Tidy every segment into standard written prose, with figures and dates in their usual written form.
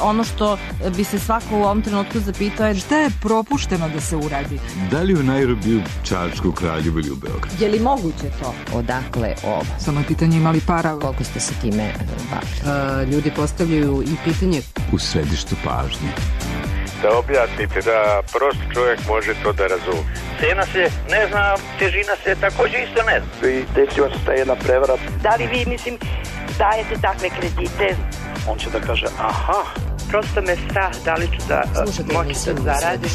ono što bi se svako u ovom trenutku zapitao je šta je propušteno da se uradi? Da li u Nairobiju, Čačku, Kraljevu ili u Beogradu? Je li moguće to? Odakle ovo? Samo je pitanje imali para. Koliko ste se time bavili? Ljudi postavljaju i pitanje U središtu pažnje. Da objasnite, da prost čovjek može to da razumije. Cena se ne zna, težina se također isto ne zna. I desila se ta jedna prevara. Da li vi, dajete takve kredite? On će da kaže, aha. Prosto me strah, da li ću da moći da zaradim.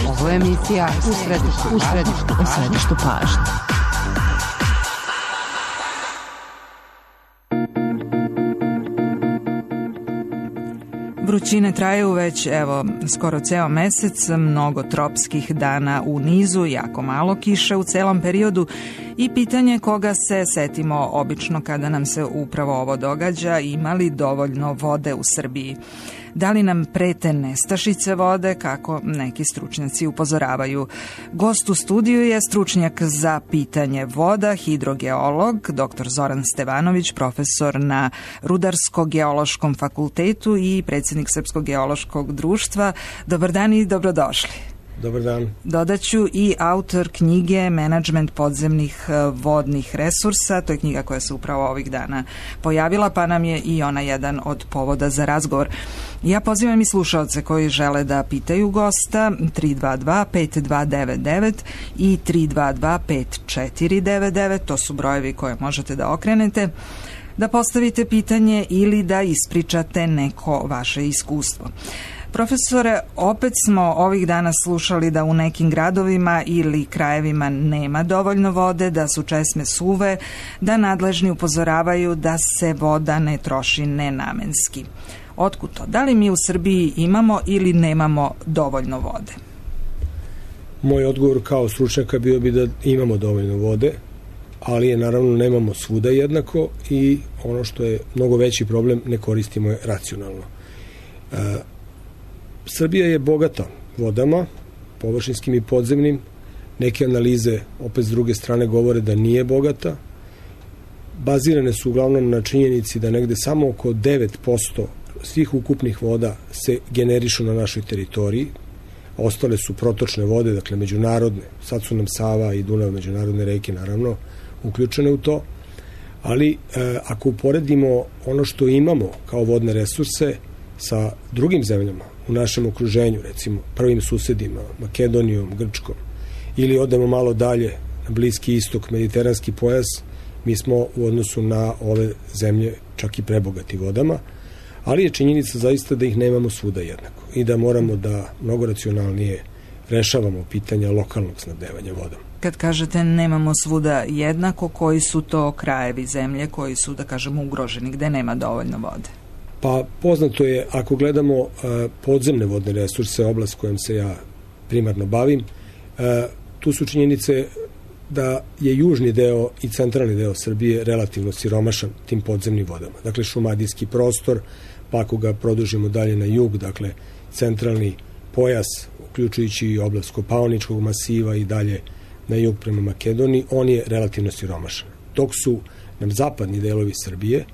Ovo je emisija u središtu pažnje. Vrućine traju već, skoro ceo mesec, mnogo tropskih dana u nizu, jako malo kiše u celom periodu i pitanje koga se setimo obično kada nam se upravo ovo događa, ima li dovoljno vode u Srbiji. Da li nam prete nestašice vode, kako neki stručnjaci upozoravaju. Gost u studiju je stručnjak za pitanje voda, hidrogeolog, dr. Zoran Stevanović, profesor na Rudarsko-geološkom fakultetu i predsjednik Srpskog geološkog društva. Dobar dan i dobrodošli. Dobar dan. Dodaću i autor knjige Menadžment podzemnih vodnih resursa. To je knjiga koja se upravo ovih dana pojavila, pa nam je i ona jedan od povoda za razgovor. Ja pozivam i slušaoce koji žele da pitaju gosta 322-5299 i 322-5499, to su brojevi koje možete da okrenete, da postavite pitanje ili da ispričate neko vaše iskustvo. Profesore, opet smo ovih dana slušali da u nekim gradovima ili krajevima nema dovoljno vode, da su česme suve, da nadležni upozoravaju da se voda ne troši nenamenski. Otkud to? Da li mi u Srbiji imamo ili nemamo dovoljno vode? Moj odgovor kao stručnjaka bio bi da imamo dovoljno vode, ali je naravno nemamo svuda jednako i ono što je mnogo veći problem, ne koristimo je racionalno. Srbija je bogata vodama, površinskim i podzemnim. Neke analize, opet s druge strane, govore da nije bogata. Bazirane su uglavnom na činjenici da negde samo oko 9% svih ukupnih voda se generišu na našoj teritoriji. Ostale su protočne vode, dakle međunarodne. Sad su nam Sava i Dunav, međunarodne reke, naravno, uključene u to. Ali ako uporedimo ono što imamo kao vodne resurse sa drugim zemljama u našem okruženju, recimo prvim susedima, Makedonijom, Grčkom, ili odemo malo dalje na Bliski istok, mediteranski pojas, mi smo u odnosu na ove zemlje čak i prebogati vodama, ali je činjenica zaista da ih nemamo svuda jednako i da moramo da mnogo racionalnije rešavamo pitanja lokalnog snabdevanja vodom. Kad kažete nemamo svuda jednako, koji su to krajevi zemlje koji su, da kažemo, ugroženi, gde nema dovoljno vode? Pa poznato je, ako gledamo podzemne vodne resurse, oblast kojom se ja primarno bavim, tu su činjenice da je južni deo i centralni deo Srbije relativno siromašan tim podzemnim vodama. Dakle, šumadijski prostor, pa ako ga produžimo dalje na jug, dakle, centralni pojas, uključujući i oblast Kopaoničkog masiva i dalje na jug prema Makedoniji, on je relativno siromašan. Dok su nam zapadni delovi Srbije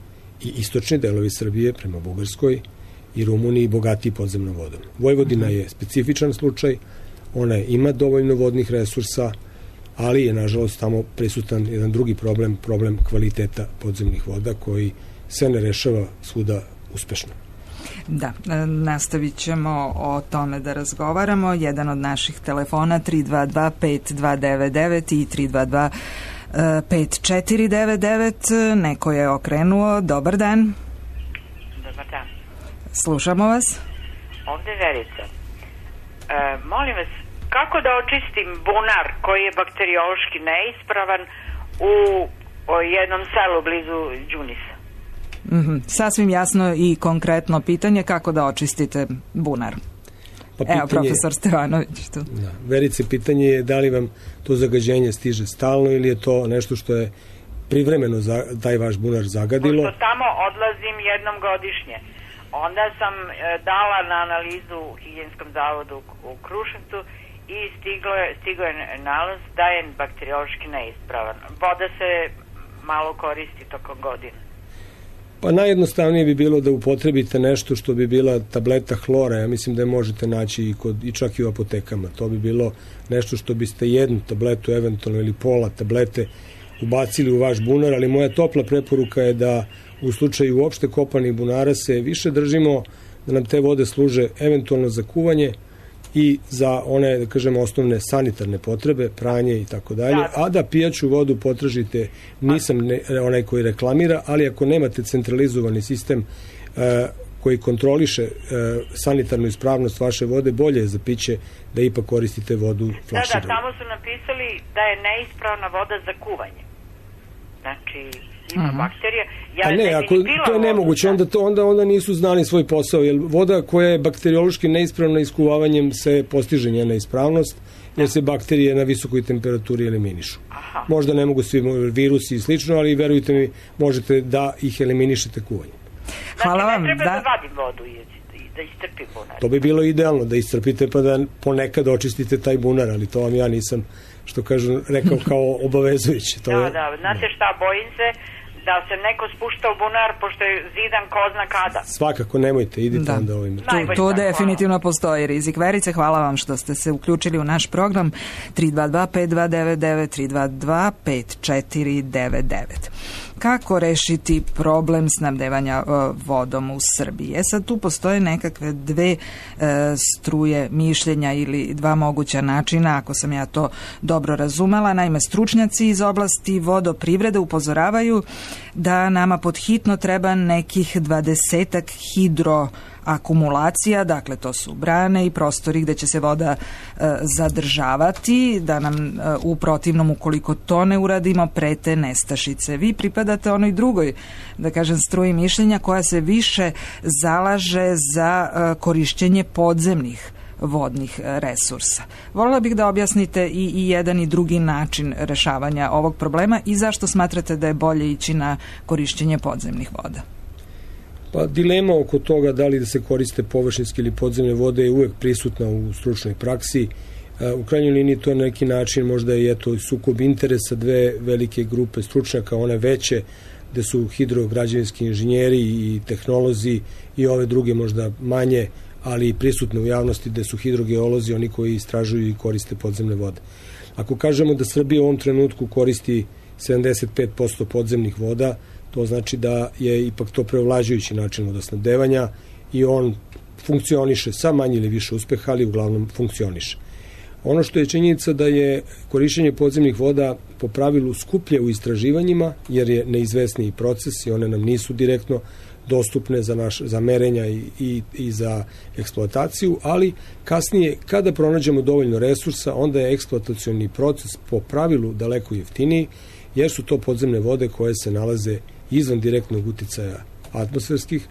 i istočni delovi Srbije prema Bugarskoj i Rumuniji bogatiji podzemnom vodom. Vojvodina je specifičan slučaj, ona ima dovoljno vodnih resursa, ali je nažalost tamo prisutan jedan drugi problem, problem kvaliteta podzemnih voda koji se ne rešava svuda uspešno. Da, nastavit ćemo o tome da razgovaramo. Jedan od naših telefona 322-5299 i 322-5499. Neko je okrenuo. Dobar dan. Dobar dan. Slušamo vas. Ovde je Verica. Molim vas, kako da očistim bunar koji je bakteriološki neispravan u jednom selu blizu Đunisa? Sasvim jasno i konkretno pitanje, kako da očistite bunar. Evo, profesor Stevanović tu. Da, Verice, pitanje je da li vam to zagađenje stiže stalno ili je to nešto što je privremeno taj vaš bunar zagadilo? Pošto tamo odlazim jednom godišnje. Onda sam dala na analizu u Higijenskom zavodu u Kruševcu i stigo je nalaz da je bakteriološki neispravan. Voda se malo koristi tokom godine. Pa najjednostavnije bi bilo da upotrebite nešto što bi bila tableta hlora. Ja mislim da je možete naći i čak i u apotekama. To bi bilo nešto što biste jednu tabletu eventualno ili pola tablete ubacili u vaš bunar, ali moja topla preporuka je da u slučaju uopšte kopanih bunara se više držimo da nam te vode služe eventualno za kuvanje i za one, da kažemo, osnovne sanitarne potrebe, pranje i tako dalje, a da pijaću vodu potražite, nisam onaj koji reklamira, ali ako nemate centralizovani sistem koji kontroliše sanitarnu ispravnost vaše vode, bolje je za piće da ipak koristite vodu flaširanu. Da, tamo su napisali da je neispravna voda za kuvanje. Znači, ima bakterija. A ne, ako to je nemoguće, onda nisu znali svoj posao, jer voda koja je bakteriološki neispravna iskuvavanjem se postiže njena ispravnost, jer se bakterije na visokoj temperaturi eliminišu. Možda ne mogu svi virusi i slično, ali verujte mi, možete da ih eliminišete kuvanjem. Hvala vam. Znači, ne treba da vadim vodu i da iscrpim bunar. To bi bilo idealno, da iscrpite pa da ponekad očistite taj bunar, ali to vam ja nisam, što kažu, rekao kao obavezujuće. Znate šta, bojim se da se neko spušta u bunar pošto je zidan ko zna kada. Svakako, nemojte, idite onda ovim. To definitivno postoji rizik. Verice, hvala vam što ste se uključili u naš program 322-5299, 322-5499. Kako rešiti problem snabdevanja vodom u Srbiji? Sad tu postoje nekakve dve struje mišljenja ili dva moguća načina, ako sam ja to dobro razumela. Naime, stručnjaci iz oblasti vodoprivrede upozoravaju da nama podhitno treba nekih 20-ak hidroakumulacija, dakle to su brane i prostori gde će se voda zadržavati, da nam u protivnom, ukoliko to ne uradimo, prete nestašice. Vi pripadate onoj drugoj, da kažem, struji mišljenja koja se više zalaže za korišćenje podzemnih vodnih resursa. Voljela bih da objasnite i jedan i drugi način rešavanja ovog problema i zašto smatrate da je bolje ići na korišćenje podzemnih voda. Pa dilema oko toga da li da se koriste površinske ili podzemne vode je uvek prisutna u stručnoj praksi. U krajnjoj liniji to je na neki način možda je to sukob interesa dve velike grupe stručnjaka, one veće gde su hidrograđevinski inženjeri i tehnolozi i ove druge možda manje, ali prisutne u javnosti gde su hidrogeolozi, oni koji istražuju i koriste podzemne vode. Ako kažemo da Srbija u ovom trenutku koristi 75% podzemnih voda, to znači da je ipak to preovlađujući način vodosnabdevanja i on funkcioniše sa manje ili više uspeha, ali uglavnom funkcioniše. Ono što je činjenica da je korišćenje podzemnih voda po pravilu skuplje u istraživanjima, jer je neizvesniji proces i one nam nisu direktno dostupne za merenja i za eksploataciju, ali kasnije kada pronađemo dovoljno resursa, onda je eksploatacioni proces po pravilu daleko jeftiniji, jer su to podzemne vode koje se nalaze izvan direktnog uticaja atmosferskih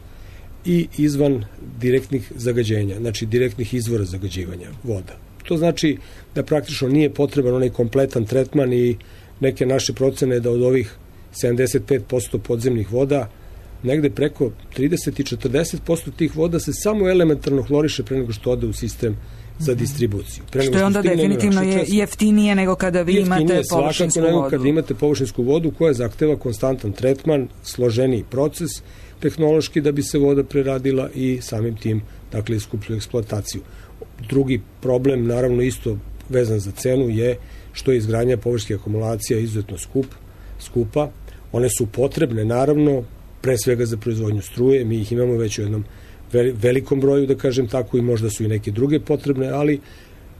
i izvan direktnih zagađenja, znači direktnih izvora zagađivanja voda. To znači da praktično nije potreban onaj kompletan tretman i neke naše procene da od ovih 75% podzemnih voda negde preko 30 i 40% tih voda se samo elementarno hloriše pre nego što ode u sistem za distribuciju. Što je onda definitivno jeftinije nego kada vi imate površinsku vodu. Nego kada imate površinsku vodu koja zahteva konstantan tretman, složeniji proces tehnološki da bi se voda preradila i samim tim, dakle, iskuplju eksploataciju. Drugi problem, naravno isto vezan za cenu, je što je izgradnja površinskih akumulacija izuzetno skupa. One su potrebne, naravno, pre svega za proizvodnju struje, mi ih imamo već u jednom velikom broju, da kažem tako, i možda su i neke druge potrebne, ali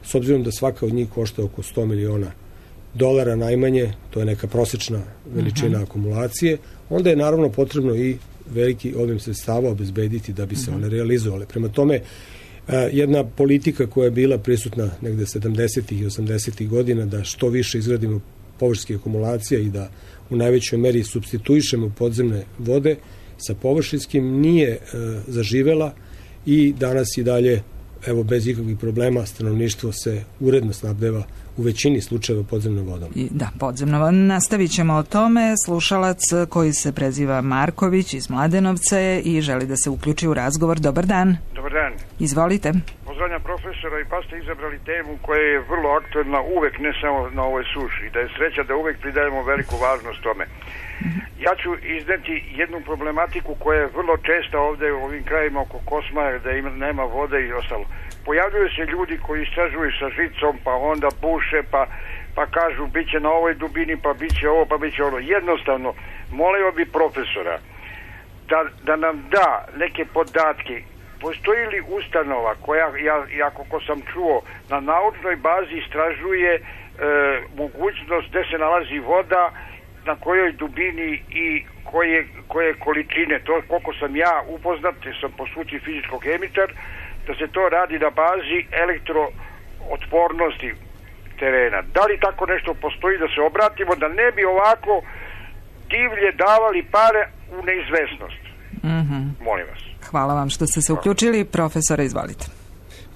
s obzirom da svaka od njih košta oko $100 miliona najmanje, to je neka prosečna veličina akumulacije, onda je naravno potrebno i veliki obim sredstava obezbediti da bi se one realizovale. Prema tome, jedna politika koja je bila prisutna negde 70. i 80. godina da što više izgradimo površinskih akumulacija i da u najvećoj meri supstituišemo podzemne vode sa površinskim, nije zaživela i danas i dalje, evo, bez ikakvih problema, stanovništvo se uredno snabdeva u većini slučajeva podzemnom vodom. Da, podzemno vodom. Nastavit ćemo o tome. Slušalac koji se preziva Marković iz Mladenovca i želi da se uključi u razgovor. Dobar dan. Dobar dan. Izvolite. Pozdravljam profesora i pa ste izabrali temu koja je vrlo aktuelna uvek, ne samo na ovoj suši. Da je sreća da uvek pridajemo veliku važnost tome. Ja ću izneti jednu problematiku koja je vrlo česta ovde u ovim krajima oko Kosmaja, da nema vode i ostalo. Pojavljuju se ljudi koji istražuju sa žicom, pa onda buše, pa kažu bit će na ovoj dubini, pa bit će ovo, pa bit će ono. Jednostavno, molio bi profesora da nam da neke podatke. Postoji li ustanova koja, ja koliko sam čuo, na naučnoj bazi istražuje mogućnost gde se nalazi voda, na kojoj dubini i koje količine, to koliko sam ja upoznat, sam po struci fizičko-hemičar, da se to radi na bazi elektrootpornosti terena. Da li tako nešto postoji, da se obratimo, da ne bi ovako divlje davali pare u neizvesnost? Molim vas. Hvala vam što ste se uključili. Profesore, izvolite.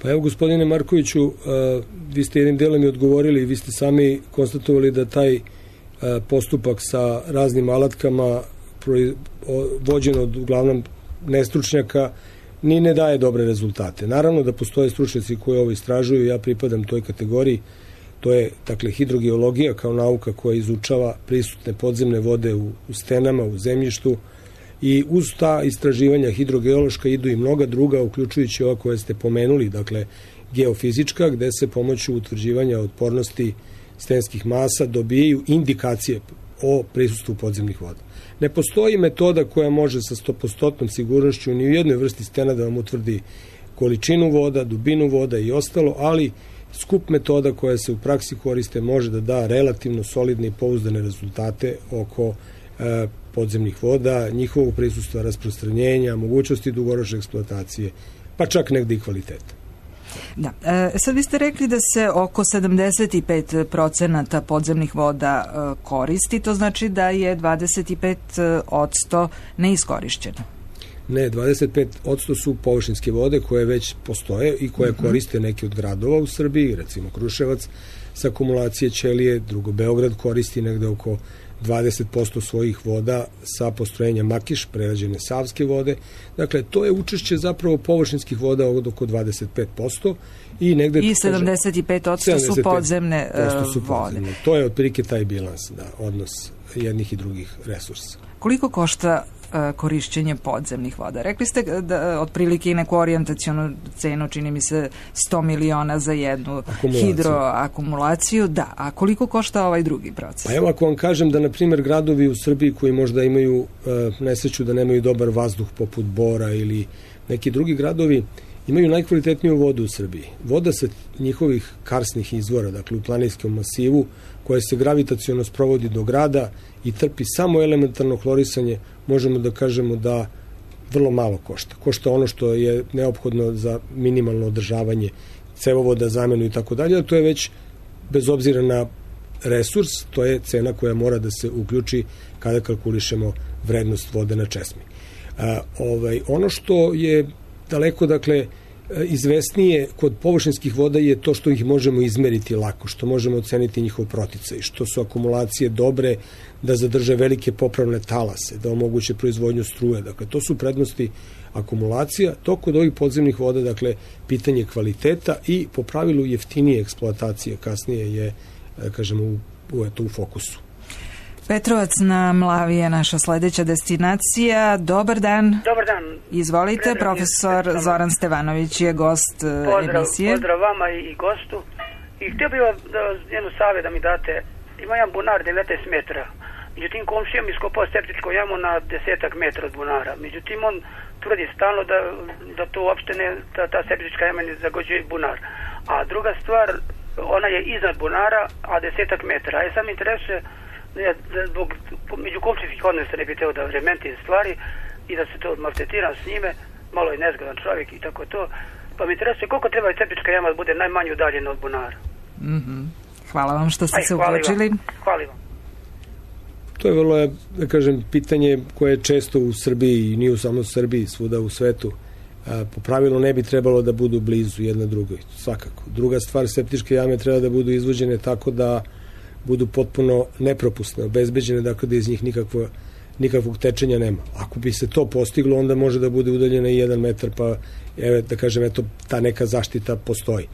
Pa evo, gospodine Markoviću, vi ste jednim delom i odgovorili, vi ste sami konstatovali da taj postupak sa raznim alatkama vođen od uglavnom nestručnjaka ni ne daje dobre rezultate. Naravno da postoje stručnjaci koji ovo istražuju, ja pripadam toj kategoriji, to je dakle hidrogeologija kao nauka koja izučava prisutne podzemne vode u stenama, u zemljištu, i uz ta istraživanja hidrogeološka idu i mnoga druga, uključujući ova koje ste pomenuli, dakle geofizička, gde se pomoću utvrđivanja otpornosti stenskih masa dobijaju indikacije o prisustvu podzemnih voda. Ne postoji metoda koja može sa 100% sigurnošću ni u jednoj vrsti stena da vam utvrdi količinu voda, dubinu voda i ostalo, ali skup metoda koja se u praksi koriste može da da relativno solidne i pouzdane rezultate oko podzemnih voda, njihovog prisustva, rasprostranjenja, mogućnosti dugoročne eksploatacije, pa čak negde i kvaliteta. Da. Sad vi ste rekli da se oko 75% podzemnih voda koristi, to znači da je 25% neiskorišćeno. Ne, 25% su površinske vode koje već postoje i koje koriste neki od gradova u Srbiji, recimo Kruševac sa akumulacije ćelije, drugo Beograd koristi negde oko 20% svojih voda sa postrojenja Makiš, prerađene savske vode. Dakle, to je učešće zapravo površinskih voda od oko 25% i negde... I 75% su podzemne vode. To je otprilike taj bilans, da, odnos jednih i drugih resursa. Koliko košta korišćenje podzemnih voda? Rekli ste da otprilike i neku orijentacionu cenu, čini mi se 100 miliona za jednu hidroakumulaciju. Da, a koliko košta ovaj drugi proces? Pa evo, ako vam kažem da, na primjer, gradovi u Srbiji koji možda imaju nesreću da nemaju dobar vazduh poput Bora ili neki drugi gradovi, imaju najkvalitetniju vodu u Srbiji. Voda sa njihovih karsnih izvora, dakle u planinskom masivu, koja se gravitaciono sprovodi do grada i trpi samo elementarno hlorisanje, možemo da kažemo da vrlo malo košta. Košta ono što je neophodno za minimalno održavanje cevovoda, zamenu i tako dalje, a to je već, bez obzira na resurs, to je cena koja mora da se uključi kada kalkulišemo vrednost vode na česmi. Ono što je daleko, dakle, izvesnije kod površinskih voda je to što ih možemo izmeriti lako, što možemo oceniti njihov proticaj, što su akumulacije dobre da zadrže velike popravne talase, da omoguće proizvodnju struje. Dakle, to su prednosti akumulacija. To kod ovih podzemnih voda, dakle, pitanje kvaliteta i po pravilu jeftinije eksploatacije kasnije je, kažemo, u fokusu. Petrovac na Mlavi je naša sledeća destinacija. Dobar dan. Dobar dan. Izvolite, profesor Zoran Stevanović je gost emisije. Pozdrav vama i gostu. I htio bih vam jednu savjet da mi date. Ima jedan bunar 19 metra. Međutim, komšijom iskopao septičku jamu na 10 metra od bunara. Međutim, on tvrdi stalno da to uopšte ne, ta septička jama ne zagođuje bunar. A druga stvar, ona je iznad bunara, a 10 metra. A je sam interesuje zbog međukomšijskih odnosa ne bi teo da rementim stvari i da se to maltretiram s njime, malo je nezgodan čovjek i tako to, pa mi interesuje koliko treba i septička jama da bude najmanje udaljena od bunara. Hvala vam što ste se uključili. Hvala vam. To je vrlo, da kažem, pitanje koje je često u Srbiji i nije samo u Srbiji, svuda u svetu. Po pravilu ne bi trebalo da budu blizu jedna drugoj, svakako. Druga stvar, septičke jame treba da budu izvođene tako da budu potpuno nepropusne, obezbeđene, dakle da iz njih nikakvog tečenja nema. Ako bi se to postiglo, onda može da bude udaljena i 1 metar, pa da kažem, eto, ta neka zaštita postoji.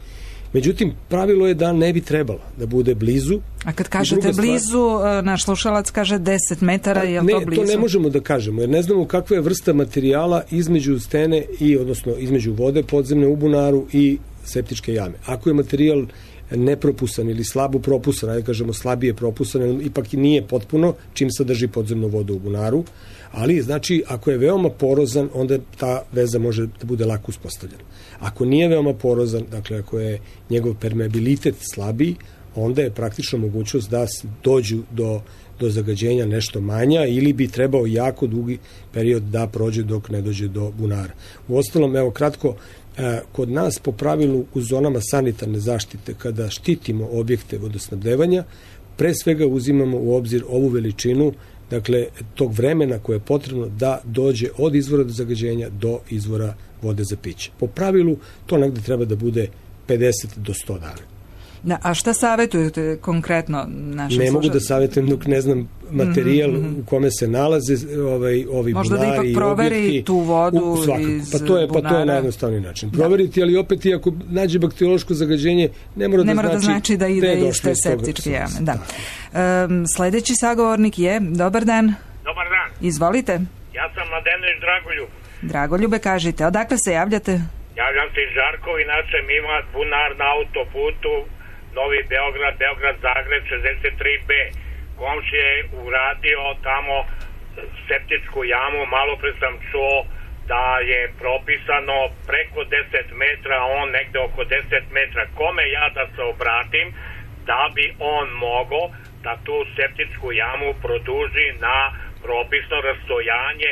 Međutim, pravilo je da ne bi trebalo da bude blizu. A kad kažete blizu, naš slušalac kaže 10 metara, je li to blizu? Ne, to ne možemo da kažemo, jer ne znamo kakva je vrsta materijala između stene odnosno između vode podzemne u bunaru i septičke jame. Ako je materijal nepropusan ili slabo propusan, ajde kažemo slabije propusan, ipak i nije potpuno, čim sadrži podzemnu vodu u bunaru, ali znači ako je veoma porozan, onda ta veza može da bude lako uspostavljena. Ako nije veoma porozan, dakle ako je njegov permeabilitet slabiji, onda je praktično mogućnost da dođu do zagađenja nešto manja ili bi trebao jako dugi period da prođe dok ne dođe do bunara. Uostalom, evo kratko, kod nas po pravilu u zonama sanitarne zaštite, kada štitimo objekte vodosnabdevanja, pre svega uzimamo u obzir ovu veličinu, dakle, tog vremena koje je potrebno da dođe od izvora do zagađenja do izvora vode za piće. Po pravilu, to negde treba da bude 50 do 100 dana. Da, a šta savjetujete konkretno našim Ne mogu da savjetujem dok ne znam materijal u kome se nalaze ovi možda bunari i objekti. Možda da ipak proveri tu vodu iz bunara. Pa to je najjednostavniji način. Proveriti, ali opet i ako nađe bakteriološko zagađenje, ne mora da znači da ide iz te septičke jame. Da. Sledeći sagovornik je, dobar dan. Dobar dan. Izvolite. Ja sam Mladenović Dragoljub. Dragoljube, kažite, odakle se javljate? Javljam se iz Žarkova, inače mi ima bunar na autoputu Novi Beograd, Beograd-Zagreb 63B. Komšija je uradio tamo septičku jamu, malo pre sam čuo da je propisano preko 10 metra, on negde oko 10 metra. Kome ja da se obratim da bi on mogao da tu septičku jamu produži na propisno rastojanje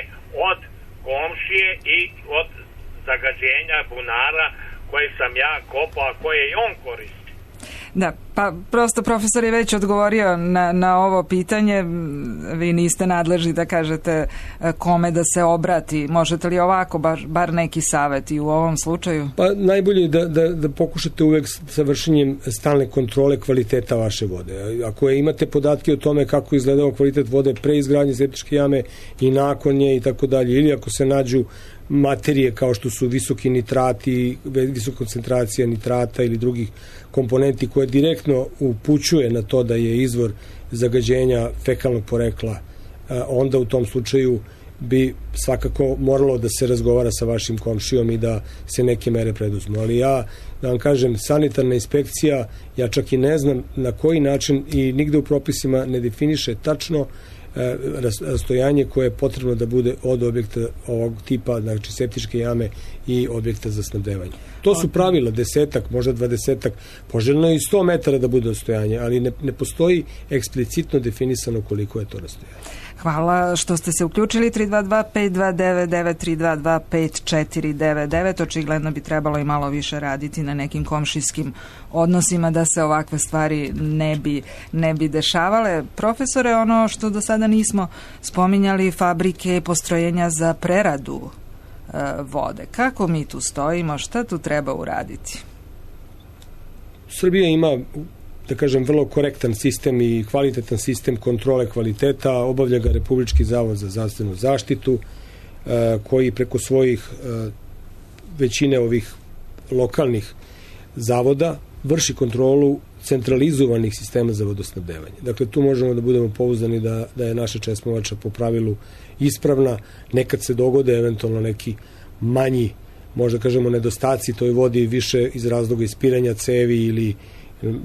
od komšije i od zagađenja bunara koje sam ja kopao, a koje i on koristi. Da, pa prosto profesor je već odgovorio na ovo pitanje, vi niste nadležni da kažete kome da se obrati, možete li ovako bar neki savjet i u ovom slučaju? Pa najbolje je da pokušate uvek sa vršenjem stalne kontrole kvaliteta vaše vode. Ako imate podatke o tome kako izgledao kvalitet vode pre izgradnje septičke jame i nakon nje i tako dalje, ili ako se nađu materije kao što su visoki nitrati, visoka koncentracija nitrata ili drugih komponenti koje direktno upućuje na to da je izvor zagađenja fekalnog porekla, onda u tom slučaju bi svakako moralo da se razgovara sa vašim komšijom i da se neke mere preduzmu. Ali ja, da vam kažem, sanitarna inspekcija, ja čak i ne znam na koji način i nigde u propisima ne definiše tačno rastojanje koje je potrebno da bude od objekta ovog tipa, znači septičke jame i objekta za snabdevanje. To su pravila, 10-ak, možda 20-ak, poželjno i 100 metara da bude rastojanje, ali ne postoji eksplicitno definisano koliko je to rastojanje. Hvala što ste se uključili. 322-5299, 322-5499. Očigledno bi trebalo i malo više raditi na nekim komšijskim odnosima da se ovakve stvari ne bi dešavale. Profesore, ono što do sada nismo spominjali, fabrike, postrojenja za preradu vode. Kako mi tu stojimo? Šta tu treba uraditi? Srbija ima, da kažem, vrlo korektan sistem i kvalitetan sistem kontrole kvaliteta, obavlja ga Republički zavod za zdravstvenu zaštitu, koji preko svojih većine ovih lokalnih zavoda vrši kontrolu centralizovanih sistema za vodosnabdevanje. Dakle, tu možemo da budemo pouzdani da je naša česmovača po pravilu ispravna. Nekad se dogode eventualno neki manji, možda kažemo, nedostaci toj vodi više iz razloga ispiranja cevi ili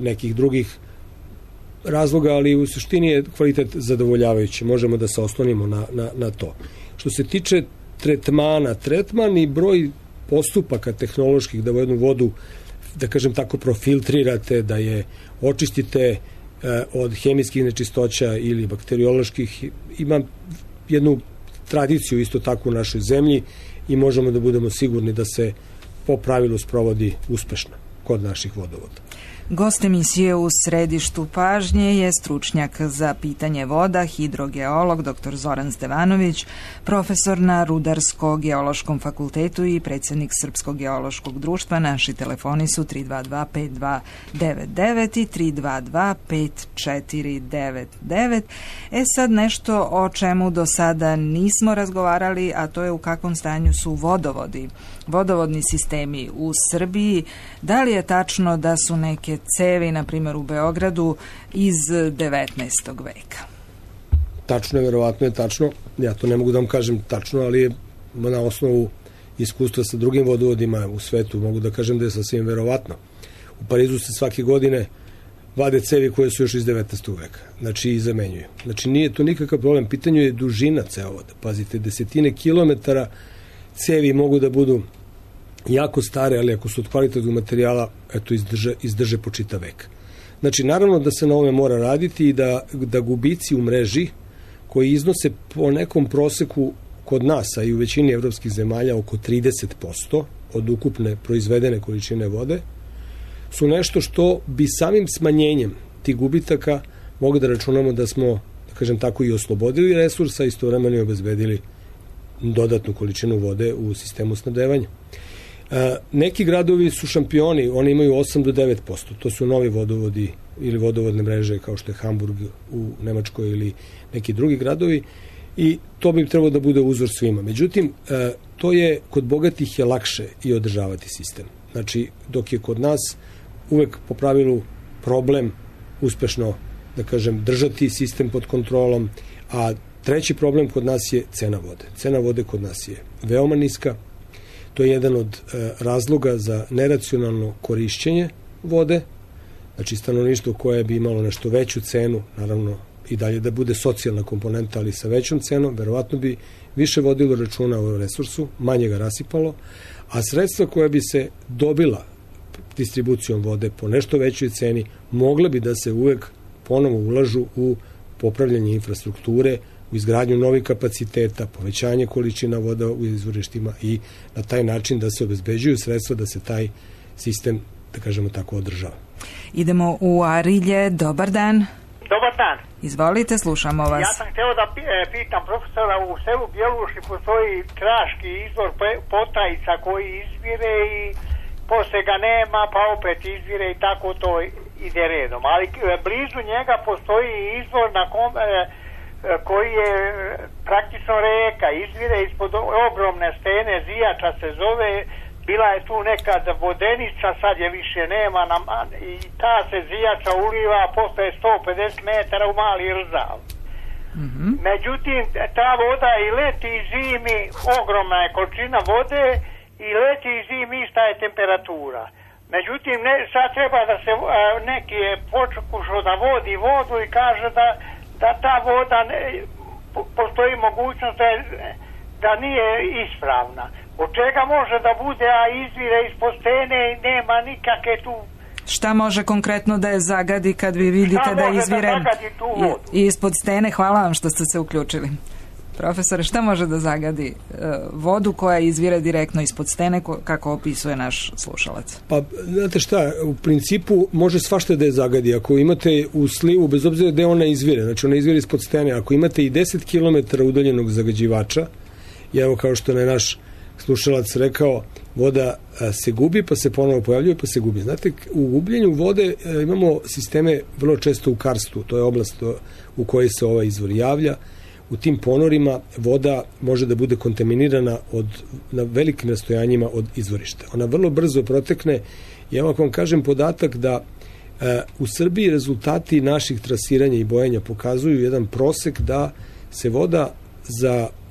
nekih drugih razloga, ali u suštini je kvalitet zadovoljavajući. Možemo da se oslonimo na to. Što se tiče tretman i broj postupaka tehnoloških da jednu vodu, da kažem tako, profiltrirate, da je očistite od hemijskih nečistoća ili bakterioloških, ima jednu tradiciju isto tako u našoj zemlji i možemo da budemo sigurni da se po pravilu sprovodi uspešno kod naših vodovoda. Gost emisije U središtu pažnje je stručnjak za pitanje voda, hidrogeolog dr. Zoran Stevanović, profesor na Rudarsko-geološkom fakultetu i predsjednik Srpskog geološkog društva. Naši telefoni su 322-5299 i 322-5499. Sad nešto o čemu do sada nismo razgovarali, a to je u kakvom stanju su vodovodni sistemi u Srbiji. Da li je tačno da su neke cevi, na primjer u Beogradu, iz 19. veka? Tačno je, verovatno je tačno. Ja to ne mogu da vam kažem tačno, ali je na osnovu iskustva sa drugim vodovodima u svetu mogu da kažem da je sasvim verovatno. U Parizu se svake godine vade cevi koje su još iz 19. veka. Znači i zamenjuju. Znači nije to nikakav problem. Pitanje je dužina cevovoda. Pazite, desetine kilometara cevi mogu da budu jako stare, ali ako su od kvalitetnog materijala, eto, izdrže po čitav vek. Znači, naravno da se na ovome mora raditi i da gubici u mreži, koji iznose po nekom proseku kod nas, a i u većini evropskih zemalja oko 30% od ukupne proizvedene količine vode, su nešto što bi samim smanjenjem tih gubitaka mogli da računamo da smo, da kažem tako, i oslobodili resursa i istovremeno i obezbedili dodatnu količinu vode u sistemu snabdevanja. Neki gradovi su šampioni, oni imaju 8 do 9%. To su novi vodovodi ili vodovodne mreže kao što je Hamburg u Nemačkoj ili neki drugi gradovi i to bi trebalo da bude uzor svima. Međutim, to je kod bogatih je lakše i održavati sistem. Znači, dok je kod nas uvek po pravilu problem uspešno, da kažem, držati sistem pod kontrolom, a treći problem kod nas je cena vode. Cena vode kod nas je veoma niska. To je jedan od razloga za neracionalno korišćenje vode. Znači, stanovništvo koje bi imalo nešto veću cenu, naravno i dalje da bude socijalna komponenta, ali sa većom cenom, verovatno bi više vodilo računa o resursu, manje ga rasipalo, a sredstva koja bi se dobila distribucijom vode po nešto većoj ceni, mogle bi da se uvek ponovo ulažu u popravljanje infrastrukture, u izgradnju novih kapaciteta, povećanje količina voda u izvorištima i na taj način da se obezbeđuju sredstva da se taj sistem, da kažemo tako, održava. Idemo u Arilje. Dobar dan. Dobar dan. Izvolite, slušamo vas. Ja sam hteo da pitam profesora, u selu Bjeluši postoji kraški izvor Potajica koji izvire i posle ga nema, pa opet izvire i tako to ide redom. Ali blizu njega postoji izvor na koji je praktično reka, izvire ispod ogromne stene, Zijača se zove, bila je tu nekad vodenica, sad je više nema, i ta se Zijača uliva, postoje 150 metara u Mali Rzav. Međutim, ta voda i leti i zimi, ogromna je količina vode, i leti i zimi ista je temperatura. Međutim, sad treba da se neki je pokušao da vodi vodu i kaže da ta voda postoji mogućnost da nije ispravna. Od čega može da bude, a izvire ispod stene i nema nikakve tu... Šta može konkretno da je zagadi kad vi vidite da izvire ispod stene? Hvala vam što ste se uključili. Profesore, šta može da zagadi vodu koja izvire direktno ispod stene, kako opisuje naš slušalac? Pa, znate šta, u principu može svašta da je zagadi. Ako imate u slivu, bez obzira gde ona izvire, znači ona izvire ispod stene, ako imate i 10 km udaljenog zagađivača, i evo kao što je naš slušalac rekao, voda se gubi, pa se ponovo pojavljuje, pa se gubi. Znate, u gubljenju vode imamo sisteme vrlo često u karstu, to je oblast u kojoj se ovaj izvor javlja. U tim ponorima voda može da bude kontaminirana na velikim rastojanjima od izvorišta. Ona vrlo brzo protekne i evo ako vam kažem podatak da u Srbiji rezultati naših trasiranja i bojenja pokazuju jedan prosek da se voda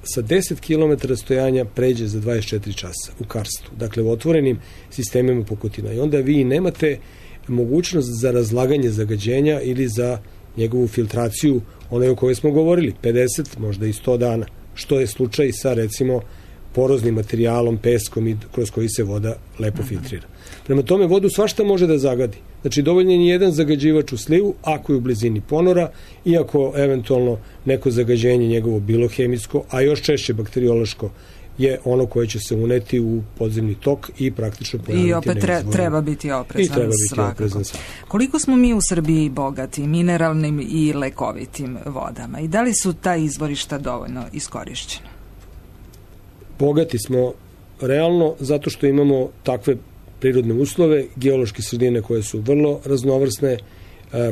sa 10 km rastojanja pređe za 24 časa u karstu, dakle u otvorenim sistemima pukotina. I onda vi nemate mogućnost za razlaganje zagađenja ili za njegovu filtraciju, onaj o kojoj smo govorili, 50, možda i 100 dana, što je slučaj sa, recimo, poroznim materijalom, peskom i kroz koji se voda lepo filtrira. Prema tome, vodu svašta može da zagadi. Znači, dovoljno je jedan zagađivač u slivu, ako je u blizini ponora, i ako eventualno neko zagađenje njegovo bilo hemijsko, a još češće bakteriološko je ono koje će se uneti u podzemni tok i praktično pojaviti. I opet treba biti oprezan svakako. Koliko smo mi u Srbiji bogati mineralnim i lekovitim vodama i da li su ta izvorišta dovoljno iskorišćena? Bogati smo realno zato što imamo takve prirodne uslove, geološke sredine koje su vrlo raznovrsne,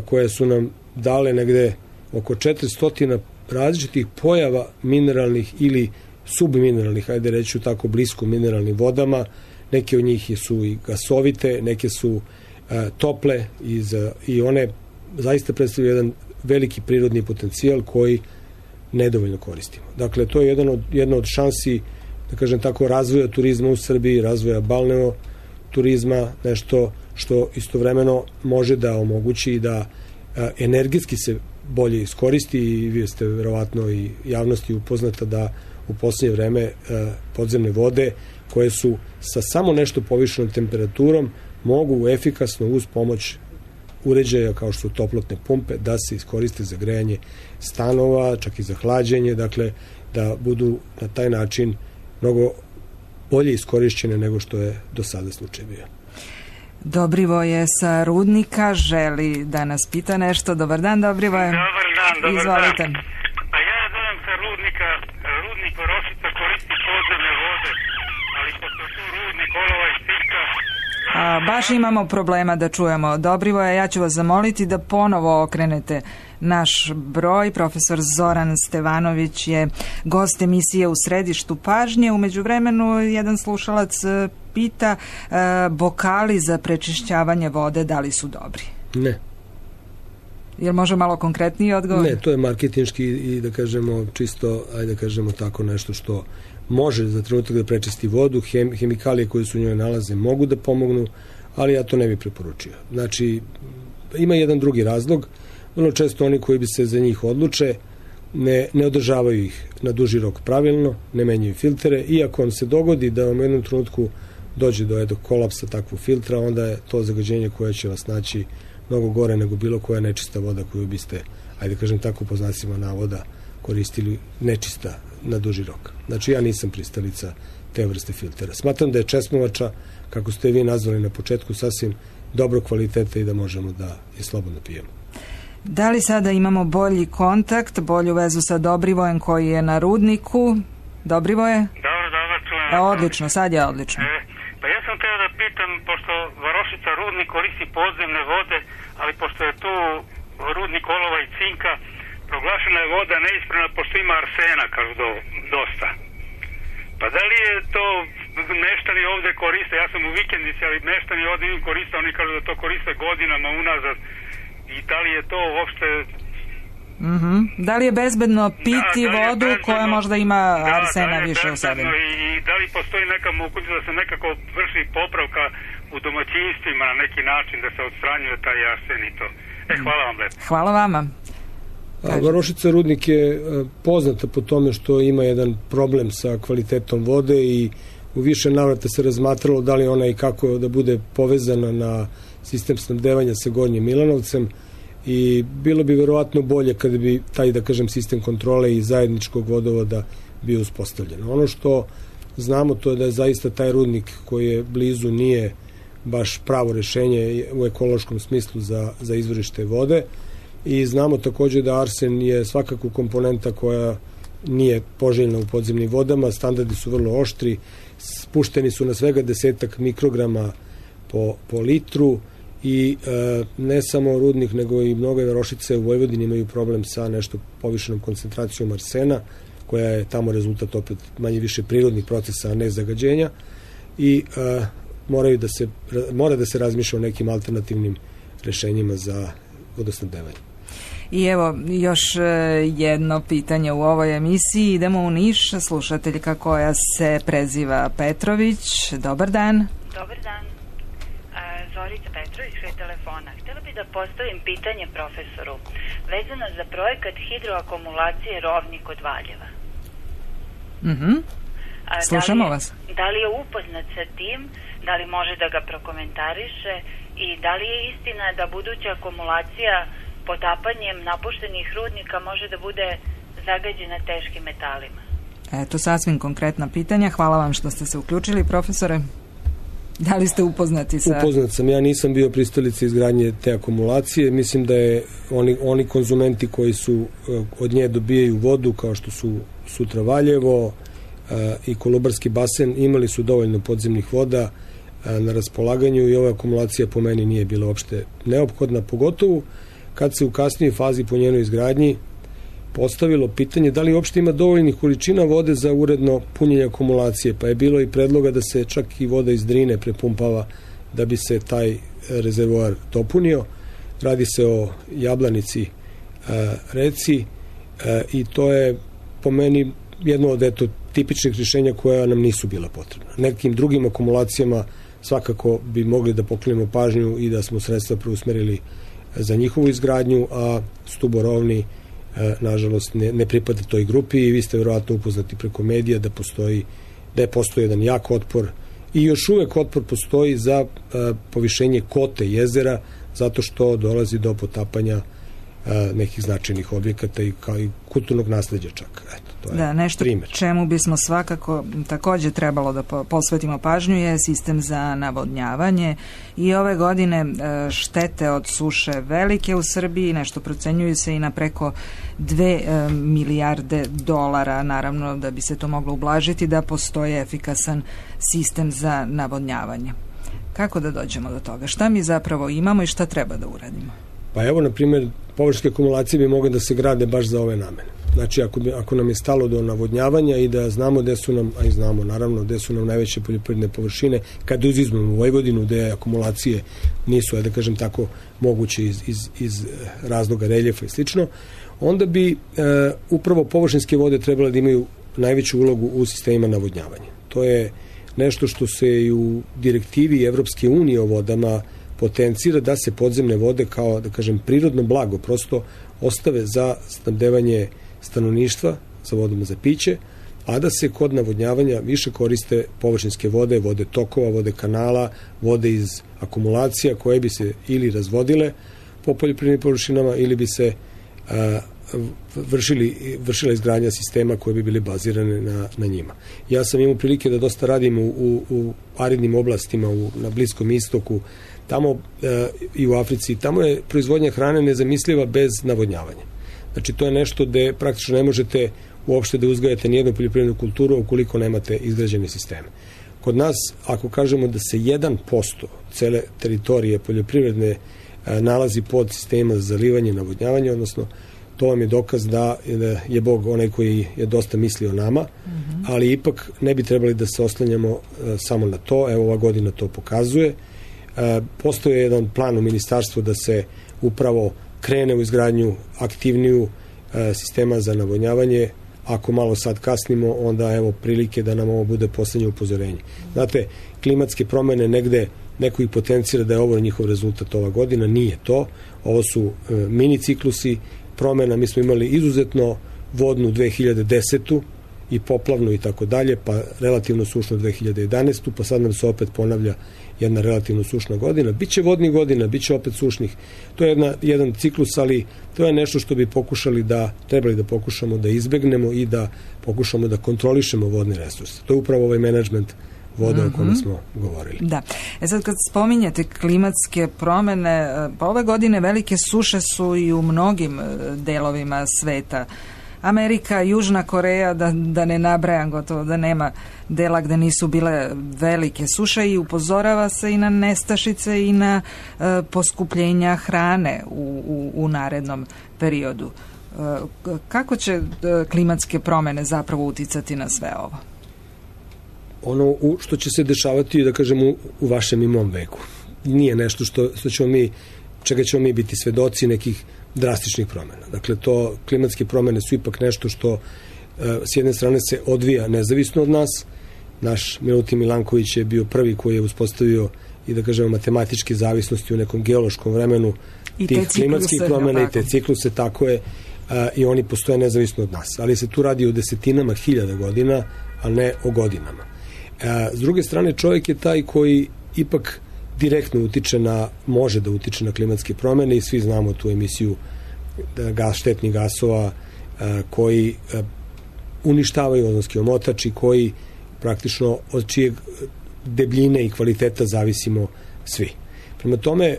koje su nam dale negde oko 400 različitih pojava mineralnih ili submineralnih, ajde reću tako, blisko mineralnim vodama. Neke od njih su i gasovite, neke su tople i one zaista predstavljaju jedan veliki prirodni potencijal koji nedovoljno koristimo. Dakle, to je jedna od šansi, da kažem tako, razvoja turizma u Srbiji, razvoja balneo turizma, nešto što istovremeno može da omogući da energetski se bolje iskoristi i vi ste verovatno i javnosti upoznata da u posljednje vreme podzemne vode koje su sa samo nešto povišenom temperaturom mogu efikasno uz pomoć uređaja kao što su toplotne pumpe da se iskoriste za grejanje stanova, čak i za hlađenje, dakle da budu na taj način mnogo bolje iskorišćene nego što je do sada slučaj bio. Dobrivoje sa Rudnika želi da nas pita nešto. Dobar dan, Dobrivoje. Dobar Izvolite. dan. A ja dolazim sa Rudnika, rudnik Varošica koristi podzemne vode, ali pošto tu rudnik olova i cinka... Baš imamo problema da čujemo Dobrivoje. Ja ću vas zamoliti da ponovo okrenete naš broj. Profesor Zoran Stevanović je gost emisije U središtu pažnje. U međuvremenu jedan slušalac pita bokali za prečišćavanje vode, da li su dobri? Ne. Jel može malo konkretniji odgovor? Ne, to je marketinški i da kažemo čisto, ajde da kažemo tako nešto što može za trenutak da prečisti vodu, hemikalije koje se u njoj nalaze mogu da pomognu, ali ja to ne bih preporučio. Znači, ima jedan drugi razlog, vrlo često oni koji bi se za njih odluče ne održavaju ih na duži rok pravilno, ne menjaju filtere, i ako vam se dogodi da vam u jednom trenutku dođe do kolapsa takvog filtra, onda je to zagađenje koje će vas naći mnogo gore nego bilo koja nečista voda koju biste, ajde kažem tako po znacima navoda, koristili nečista na duži rok. Znači, ja nisam pristalica te vrste filtera. Smatram da je česmovača, kako ste vi nazvali na početku, sasvim dobro kvaliteta i da možemo da je slobodno pijemo. Da li sada imamo bolji kontakt, bolju vezu sa Dobrivojem koji je na Rudniku? Dobrivoje? Dobro, čujem. Odlično, sad je odlično. Pa ja sam teo da pitam, pošto Varošica rudnik koristi podzemne vode, ali pošto je tu rudnik olova i cinka, proglašena je voda neispravna pošto ima arsena, kažu dosta. Pa da li je to meštani ovde koriste, ja sam u vikendici, ali meštani ovde im koriste, oni kažu da to koriste godinama unazad, i da li je to uopšte... Da li je bezbedno piti vodu koja možda ima arsena više u sebi? I da li postoji neka mogućnost da se nekako vrši popravka u domaćinstvima na neki način, da se odstranjuje taj arsen i to? Hvala vam lepo. Hvala vama. Varošica rudnik je poznata po tome što ima jedan problem sa kvalitetom vode i u više navrata se razmatralo da li ona i kako da bude povezana na sistem snabdevanja sa Gornjim Milanovcem, i bilo bi verovatno bolje kada bi taj, da kažem, sistem kontrole i zajedničkog vodovoda bio uspostavljen. Ono što znamo to je da je zaista taj rudnik koji je blizu nije baš pravo rešenje u ekološkom smislu za izvorište vode, i znamo takođe da arsen je svakako komponenta koja nije poželjna u podzemnim vodama, standardi su vrlo oštri, spušteni su na svega 10 mikrograma po litru, i ne samo rudnik nego i mnoge Varošice u Vojvodini imaju problem sa nešto povišenom koncentracijom arsena, koja je tamo rezultat opet manje više prirodnih procesa, a ne zagađenja, i mora da se razmišlja o nekim alternativnim rešenjima za vodosnabdevanje. I evo još jedno pitanje u ovoj emisiji. Idemo u Niš, slušateljka koja se preziva Petrović. Dobar dan. Dobar dan. Zorica Petrović, kraj telefona. Htjela bih da postavim pitanje profesoru vezano za projekat hidroakumulacije Rovni kod Valjeva. Slušamo vas. Da li je upoznat sa tim, da li može da ga prokomentariše i da li je istina da buduća akumulacija potapanjem napuštenih rudnika može da bude zagađena teškim metalima? Eto, sasvim konkretna pitanja. Hvala vam što ste se uključili, profesore. Da li ste upoznati sa... Upoznat sam, ja nisam bio pristalica izgradnje te akumulacije. Mislim da je oni konzumenti koji su od nje dobijaju vodu, kao što su sutra Valjevo i Kolubarski basen, imali su dovoljno podzemnih voda na raspolaganju i ova akumulacija po meni nije bila uopšte neophodna, pogotovo kad se u kasnijoj fazi po njenoj izgradnji postavilo pitanje da li uopšte ima dovoljnih količina vode za uredno punjenje akumulacije, pa je bilo i predloga da se čak i voda iz Drine prepumpava da bi se taj rezervoar dopunio. Radi se o Jablanici reci i to je po meni jedno od tipičnih rješenja koja nam nisu bila potrebna. Nekim drugim akumulacijama svakako bi mogli da poklenemo pažnju i da smo sredstva preusmerili za njihovu izgradnju, a Stuborovni nažalost ne pripada toj grupi i vi ste verovatno upoznati preko medija da je postoji jedan jak otpor i još uvek otpor postoji za povišenje kote jezera zato što dolazi do potapanja nekih značajnih objekata i kao i kulturnog nasleđa čak. Eto, to je nešto primjer. Čemu bismo svakako također trebalo da posvetimo pažnju je sistem za navodnjavanje i ove godine štete od suše velike u Srbiji, nešto procenjuju se i na preko 2 milijarde dolara, naravno da bi se to moglo ublažiti da postoji efikasan sistem za navodnjavanje. Kako da dođemo do toga? Šta mi zapravo imamo i šta treba da uradimo? Pa evo, na primjer, površinske akumulacije bi mogle da se grade baš za ove namene. Znači, ako nam je stalo do navodnjavanja i da znamo gde su nam, a i znamo naravno gde su nam najveće poljoprivredne površine, kad izuzmemo Vojvodinu gde akumulacije nisu, da kažem tako, moguće iz razloga reljefa i slično, onda bi upravo površinske vode trebale da imaju najveću ulogu u sistemima navodnjavanja. To je nešto što se i u direktivi Evropske unije o vodama potencira da se podzemne vode kao, da kažem, prirodno blago prosto ostave za snabdevanje stanovništva sa vodom za piće, a da se kod navodnjavanja više koriste površinske vode, vode tokova, vode kanala, vode iz akumulacija koje bi se ili razvodile po poljoprivrednim površinama ili bi se vršila izgradnja sistema koje bi bili bazirane na njima. Ja sam imao prilike da dosta radim u aridnim oblastima na Bliskom istoku, tamo i u Africi, tamo je proizvodnja hrane nezamisliva bez navodnjavanja. Znači, to je nešto gde praktično ne možete uopšte da uzgajate nijednu poljoprivrednu kulturu ukoliko nemate izgrađene sisteme. Kod nas, ako kažemo da se 1% cele teritorije poljoprivredne nalazi pod sistema za zalivanje i navodnjavanje, odnosno to vam je dokaz da je Bog onaj koji je dosta mislio o nama, ali ipak ne bi trebali da se oslanjamo samo na to. Evo, ova godina to pokazuje. Postoje jedan plan u ministarstvu da se upravo krene u izgradnju aktivniju sistema za navodnjavanje. Ako malo sad kasnimo, onda evo prilike da nam ovo bude poslednje upozorenje. Znate, klimatske promene negde neko ih potencira da je ovo njihov rezultat ova godina, nije to. Ovo su mini ciklusi promena. Mi smo imali izuzetno vodnu 2010. i poplavnu i tako dalje, pa relativno sušnu 2011. pa sad nam se opet ponavlja jedna relativno sušna godina. Biće vodnih godina, biće opet sušnih. To je jedan ciklus, ali to je nešto što bi trebali da pokušamo da izbegnemo i da pokušamo da kontrolišemo vodne resurse. To je upravo ovaj menadžment voda o kome smo govorili. Da. Sad kad spominjete klimatske promene, pa ove godine velike suše su i u mnogim delovima sveta. Amerika, Južna Koreja, da ne nabrajam, gotovo da nema dela gde nisu bile velike suše i upozorava se i na nestašice i na poskupljenja hrane u narednom periodu. Kako će klimatske promene zapravo uticati na sve ovo? Ono što će se dešavati, da kažem, u vašem i mom veku. Nije nešto čega ćemo mi biti svedoci nekih drastičnih promjena. Dakle, klimatske promjene su ipak nešto što s jedne strane se odvija nezavisno od nas. Naš Milutin Milanković je bio prvi koji je uspostavio i, da kažemo, matematičke zavisnosti u nekom geološkom vremenu tih klimatskih promjena i te cikluse, tako je, i oni postoje nezavisno od nas. Ali se tu radi o desetinama hiljada godina, a ne o godinama. S druge strane, čovjek je taj koji ipak direktno može da utiče na klimatske promjene i svi znamo tu emisiju štetnih gasova koji uništavaju ozonski omotač i koji praktično od čijeg debljine i kvaliteta zavisimo svi. Prema tome,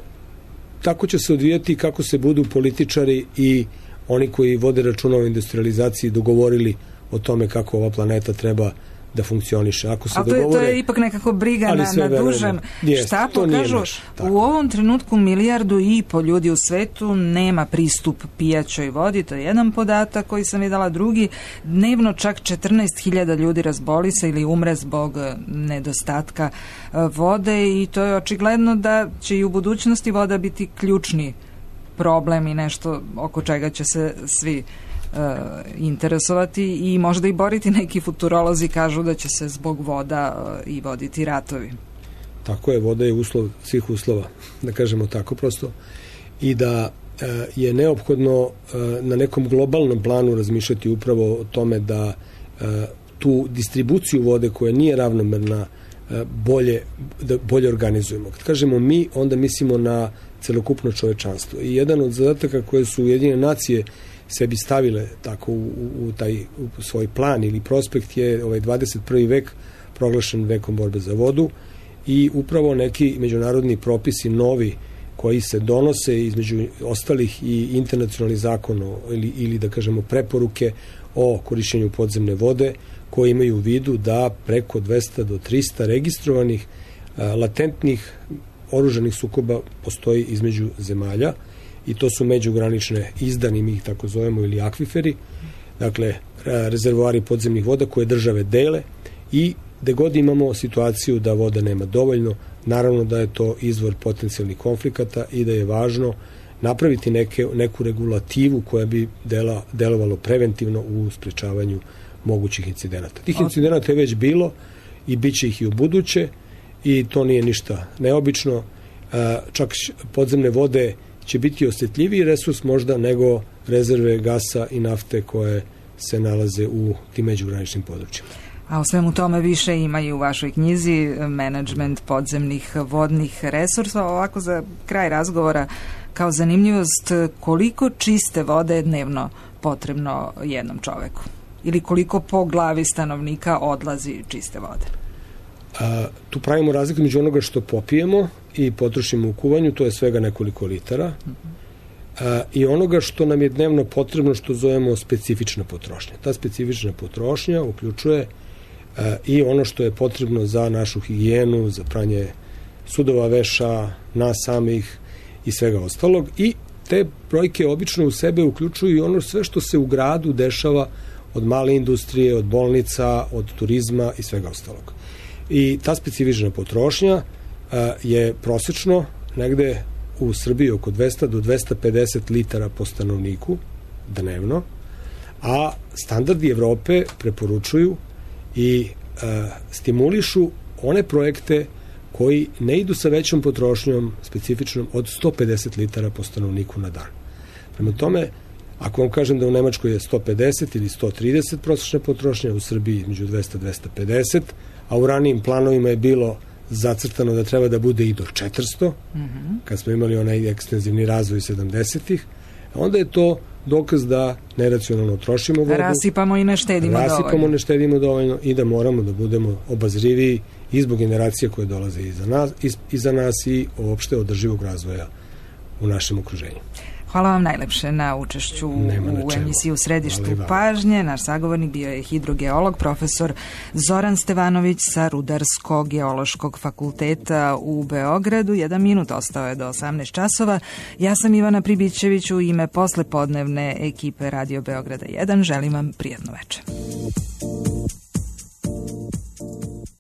tako će se odvijati kako se budu političari i oni koji vode računa o industrializaciji dogovorili o tome kako ova planeta treba da funkcioniše. Ako se to je ipak nekako briga na dužem štapu. Kažu, u ovom trenutku 1,5 milijardu ljudi u svetu nema pristup pijaćoj vodi, to je jedan podatak koji sam videla. Drugi, dnevno čak 14.000 ljudi razboli se ili umre zbog nedostatka vode i to je očigledno da će i u budućnosti voda biti ključni problem i nešto oko čega će se svi interesovati i možda i boriti. Neki futurolozi kažu da će se zbog voda i voditi ratovi. Tako je, voda je uslov svih uslova, da kažemo tako prosto, i da je neophodno na nekom globalnom planu razmišljati upravo o tome da tu distribuciju vode koja nije ravnomerna bolje organizujemo. Kad kažemo mi, onda mislimo na celokupno čovečanstvo. I jedan od zadataka koje su Ujedinjene nacije sebi stavile tako u svoj plan ili prospekt je 21. vek proglašen vekom borbe za vodu i upravo neki međunarodni propisi novi koji se donose između ostalih i internacionalni zakon ili da kažemo preporuke o korišćenju podzemne vode koji imaju u vidu da preko 200 do 300 registrovanih latentnih oružanih sukoba postoji između zemalja i to su međugranične izdani, mi ih tako zovemo, ili akviferi, dakle rezervoari podzemnih voda koje države dele i gde god imamo situaciju da voda nema dovoljno, naravno da je to izvor potencijalnih konflikata i da je važno napraviti neku regulativu koja bi delovalo preventivno u sprečavanju mogućih incidenata. Tih incidenata je već bilo i bit će ih i u buduće i to nije ništa neobično. Čak podzemne vode će biti osjetljiviji resurs možda nego rezerve gasa i nafte koje se nalaze u tim međugraničnim područjima. A o svemu tome više ima i u vašoj knjizi Menadžment podzemnih vodnih resursa. Ovako za kraj razgovora kao zanimljivost, koliko čiste vode je dnevno potrebno jednom čoveku? Ili koliko po glavi stanovnika odlazi čiste vode? Tu pravimo razliku među onoga što popijemo i potrošimo u kuvanju, to je svega nekoliko litara, i onoga što nam je dnevno potrebno, što zovemo specifična potrošnja. Ta specifična potrošnja uključuje i ono što je potrebno za našu higijenu, za pranje sudova, veša, nas samih i svega ostalog, i te brojke obično u sebe uključuju i ono sve što se u gradu dešava, od male industrije, od bolnica, od turizma i svega ostalog. I ta specifična potrošnja je prosečno negde u Srbiji oko 200 do 250 litara po stanovniku dnevno, a standardi Evrope preporučuju i stimulišu one projekte koji ne idu sa većom potrošnjom specifičnom od 150 litara po stanovniku na dan. Prema tome, ako vam kažem da u Nemačkoj je 150 ili 130 prosječna potrošnja, u Srbiji između 200-250, a u ranijim planovima je bilo zacrtano da treba da bude i do 400, kad smo imali onaj ekstenzivni razvoj 70-ih, onda je to dokaz da neracionalno trošimo vodu. Rasipamo i ne štedimo dovoljno. I da moramo da budemo obazriviji i zbog generacija koje dolaze iza nas i uopšte održivog razvoja u našem okruženju. Hvala vam najlepše na učešću u emisiji U središtu pažnje. Naš sagovornik bio je hidrogeolog, profesor Zoran Stevanović sa Rudarsko-geološkog fakulteta u Beogradu. 1 minut ostao je do 18 časova. Ja sam Ivana Pribićević, u ime poslepodnevne ekipe Radio Beograda 1. Želim vam prijatno večer.